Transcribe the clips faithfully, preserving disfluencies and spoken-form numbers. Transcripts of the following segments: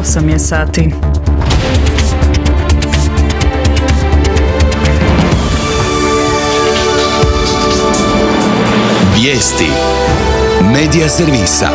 osam je sati. Vijesti Medija servisa.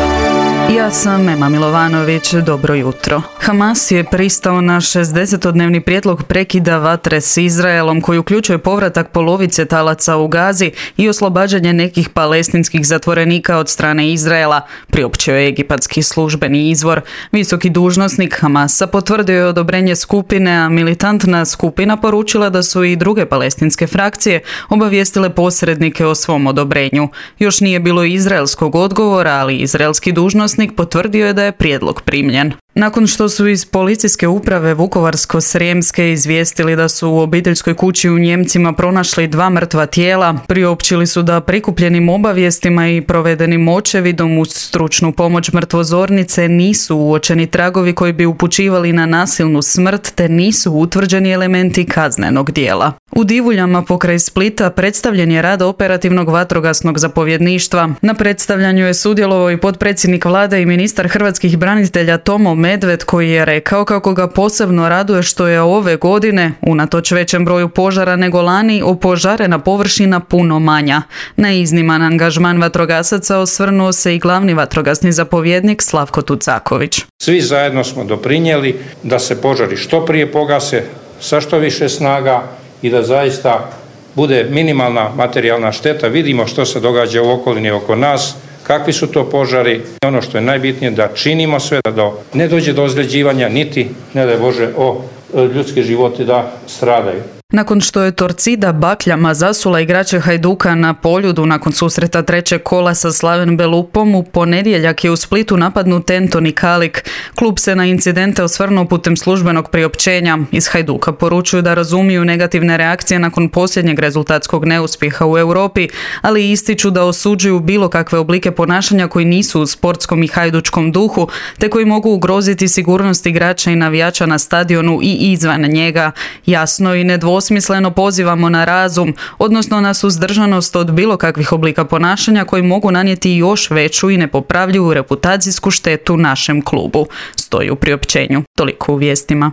Ja sam Ema Milovanović, dobro jutro. Hamas je pristao na šezdesetodnevni prijedlog prekida vatre s Izraelom koji uključuje povratak polovice talaca u Gazi i oslobađanje nekih palestinskih zatvorenika od strane Izraela, priopćio je egipatski službeni izvor. Visoki dužnosnik Hamasa potvrdio je odobrenje skupine, a militantna skupina poručila da su i druge palestinske frakcije obavijestile posrednike o svom odobrenju. Još nije bilo izraelskog odgovora, ali izraelski dužnosnik potvrdio je da je prijedlog primljen. Nakon što su iz policijske uprave Vukovarsko-srijemske izvijestili da su u obiteljskoj kući u Njemcima pronašli dva mrtva tijela, priopćili su da prikupljenim obavijestima i provedenim očevidom uz stručnu pomoć mrtvozornice nisu uočeni tragovi koji bi upućivali na nasilnu smrt te nisu utvrđeni elementi kaznenog djela. U Divuljama pokraj Splita predstavljen je rad operativnog vatrogasnog zapovjedništva. Na predstavljanju je sudjelovao i potpredsjednik vlade i ministar hrvatskih branitelja Tomo Medved, koji je rekao kako ga posebno raduje što je ove godine, unatoč većem broju požara nego lani, opožarena površina puno manja. Na izniman angažman vatrogasaca osvrnuo se i glavni vatrogasni zapovjednik Slavko Tucaković. Svi zajedno smo doprinijeli da se požari što prije pogase sa što više snaga i da zaista bude minimalna materijalna šteta. Vidimo što se događa u okolini oko nas, kakvi su to požari. Ono što je najbitnije da činimo sve da do, ne dođe do ozljeđivanja, niti, ne daj Bože, o ljudski životi da stradaju. Nakon što je Torcida bakljama zasula igrače Hajduka na Poljudu nakon susreta trećeg kola sa Slaven Belupom, u ponedjeljak je u Splitu napadnut Antoni Kalik. Klub se na incidente osvrnuo putem službenog priopćenja. Iz Hajduka poručuju da razumiju negativne reakcije nakon posljednjeg rezultatskog neuspjeha u Europi, ali ističu da osuđuju bilo kakve oblike ponašanja koji nisu u sportskom i hajdučkom duhu, te koji mogu ugroziti sigurnost igrača i navijača na stadionu i izvan njega. Jasno i nedvosmisleno Osmisleno pozivamo na razum, odnosno na suzdržanost od bilo kakvih oblika ponašanja koji mogu nanijeti još veću i nepopravljivu reputacijsku štetu našem klubu, stoji u priopćenju. Toliko u vijestima.